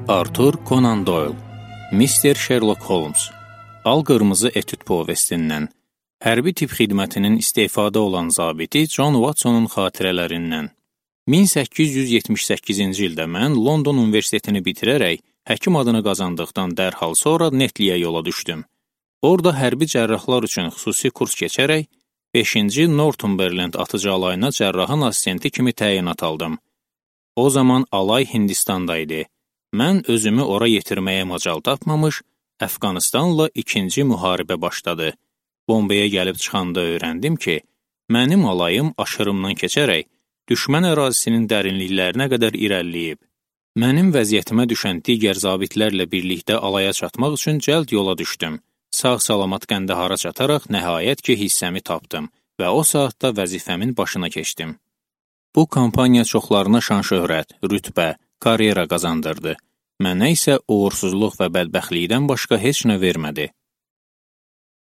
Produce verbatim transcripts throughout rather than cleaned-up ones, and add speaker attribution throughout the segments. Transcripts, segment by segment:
Speaker 1: Arthur Conan Doyle, Mister Sherlock Holmes, Al-Qırmızı etüd povestindən, hərbi tip xidmətinin istefadə olan zabiti John Watsonun xatirələrindən. min səkkiz yüz yetmiş səkkizinci ildə mən London Universitetini bitirərək həkim adını qazandıqdan dərhal sonra Netliyə yola düşdüm. Orada hərbi cərrahlar üçün xüsusi kurs keçərək beşinci Northumberland atıcı alayına cərrahın assistenti kimi təyinat aldım. O zaman alay Hindistanda idi. Mən özümü ora yetirməyə macal tapmamış, Əfqanistanla ikinci müharibə başladı. Bombaya gəlib çıxanda öyrəndim ki, mənim alayım aşırımdan keçərək düşmən ərazisinin dərinliklərinə qədər irəliləyib. Mənim vəziyyətimə düşən digər zabitlərlə birlikdə alaya çatmaq üçün cəld yola düşdüm. Sağ-salamat Qəndahara çataraq nəhayət ki, hissəmi tapdım və o saatda vəzifəmin başına keçdim. Bu kampaniya çoxlarına şan-şöhrət, rütbə, karyera qazandırdı. Mənə isə uğursuzluq və bədbəxtlikdən başqa heç nə vermədi.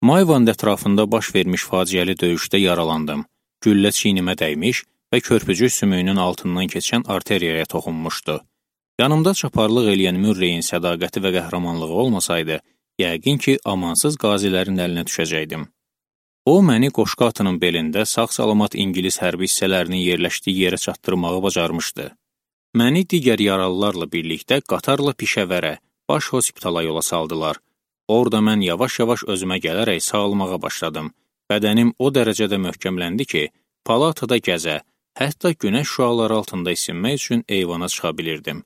Speaker 1: Mayvand ətrafında baş vermiş faciəli döyüşdə yaralandım. Güllə çiynimə dəymiş və körpücük sümüyünün altından keçən arteriyaya toxunmuşdu. Yanımda çaparlıq eləyən Mürreyin sədaqəti və qəhrəmanlığı olmasaydı, yəqin ki, amansız qazilərin əlinə düşəcəkdim. O, məni qoşqa atının belində sağ-salamat İngilis hərbi hissələrinin yerləşdiyi yerə çatdırmağı bacarmışdı. Məni digər yaralılarla birlikdə qatarla Pişəvərə, baş hospitala yola saldılar. Orada mən yavaş-yavaş özümə gələrək sağalmağa başladım. Bədənim o dərəcədə möhkəmləndi ki, palatada gəzə, hətta günəş şüaları altında isinmək üçün eyvana çıxa bilirdim.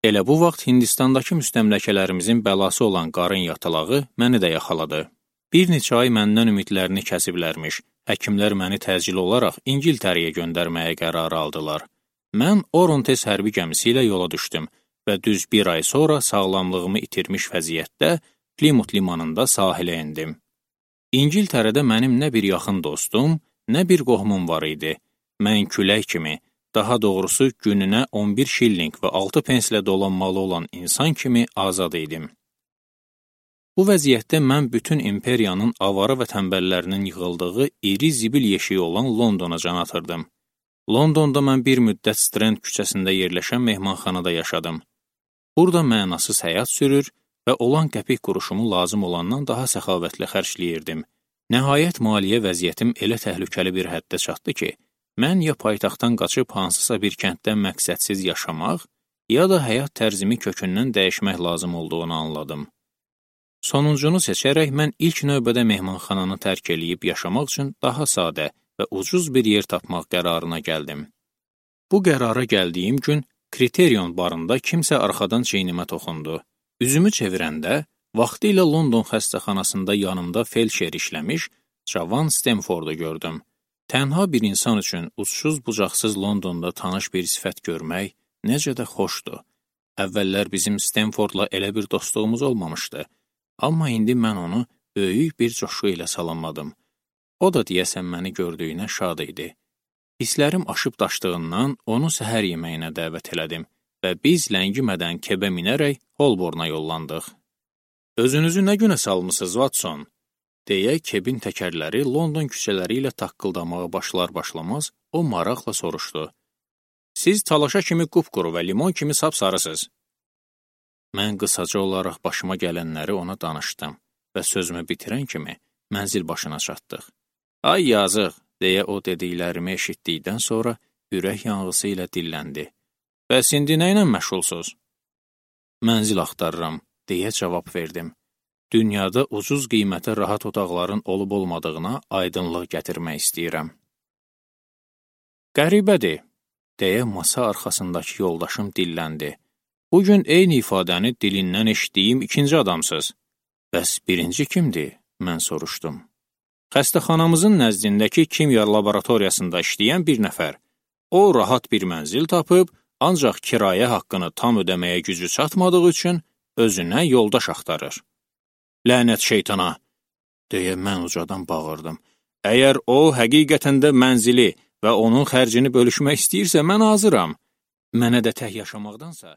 Speaker 1: Elə bu vaxt Hindistandakı müstəmləkələrimizin bəlası olan qarın yatılağı məni də yaxaladı. Bir neçə ay məndən ümidlərini kəsiblərmiş, həkimlər məni təcil olaraq İngiltərəyə göndərməyə qərar aldılar. Mən Orontes hərbi gəmisi ilə yola düşdüm və düz bir ay sonra sağlamlığımı itirmiş vəziyyətdə Plymouth limanında sahilə endim. İngiltərədə mənim nə bir yaxın dostum, nə bir qohumum var idi. Mən külək kimi, daha doğrusu gününə on bir şilling və altı penslə dolanmalı olan insan kimi azad idim. Bu vəziyyətdə mən bütün imperiyanın avara və tənbəllərinin yığıldığı iri zibil yeşiyi olan Londona can atırdım. Londonda mən bir müddət Strand küçəsində yerləşən mehmanxanada yaşadım. Burada mənasız həyat sürür və olan qəpik quruşumu lazım olandan daha səxavətlə xərcləyirdim. Nəhayət maliyyə vəziyyətim elə təhlükəli bir həddə çatdı ki, mən ya paytaxtdan qaçıb hansısa bir kənddən məqsədsiz yaşamaq, ya da həyat tərzimi kökündən dəyişmək lazım olduğunu anladım. Sonuncunu seçərək mən ilk növbədə mehmanxananı tərk eləyib yaşamaq üçün daha sadə və ucuz bir yer tapmaq qərarına gəldim. Bu qərara gəldiyim gün Kriterion barında kimsə arxadan çeynimə toxundu. Üzümü çevirəndə, vaxtilə London xəstəxanasında yanımda felçer işləmiş cavan Stemfordu gördüm. Tənha bir insan üçün uçsuz-bucaqsız Londonda tanış bir sifət görmək necə də xoşdur. Əvvəllər bizim Stemfordla elə bir dostluğumuz olmamışdı, amma indi mən onu böyük bir coşku ilə salamladım. O da deyəsən məni gördüyünə şad idi. Hisslərim aşıb daşdığından onu səhər yeməyinə dəvət elədim və biz ləngimədən kebə minərək Holborna yollandıq. Özünüzü nə günə salmısınız, Watson? Deyə kebin təkərləri London küçələri ilə taqqıldamağa başlar-başlamaz o maraqla soruşdu. Siz talaşa kimi qupquru və limon kimi sapsarısınız. Mən qısaca olaraq başıma gələnləri ona danışdım və sözümü bitirən kimi mənzil başına çatdıq. Ay yazıq, deyə o dediklərimi eşitdikdən sonra ürək yanğısı ilə dilləndi. Bəs indi nə ilə məşğulsuz? Mənzil axtarıram, deyə cavab verdim. Dünyada ucuz qiymətə rahat otaqların olub-olmadığına aydınlıq gətirmək istəyirəm. Qəribədir, deyə masa arxasındakı yoldaşım dilləndi. Bugün eyni ifadəni dilindən eşitdiyim ikinci adamsınız. Bəs birinci kimdir? Mən soruşdum. Xəstəxanamızın nəzdindəki kimya laboratoriyasında işləyən bir nəfər. O, rahat bir mənzil tapıb, ancaq kirayə haqqını tam ödəməyə gücü çatmadığı üçün özünə yoldaş axtarır. Lənət şeytana, deyə mən ucadan bağırdım. Əgər o, həqiqətən də mənzili və onun xərcini bölüşmək istəyirsə, mən hazıram. Mənə də tək yaşamaqdansa...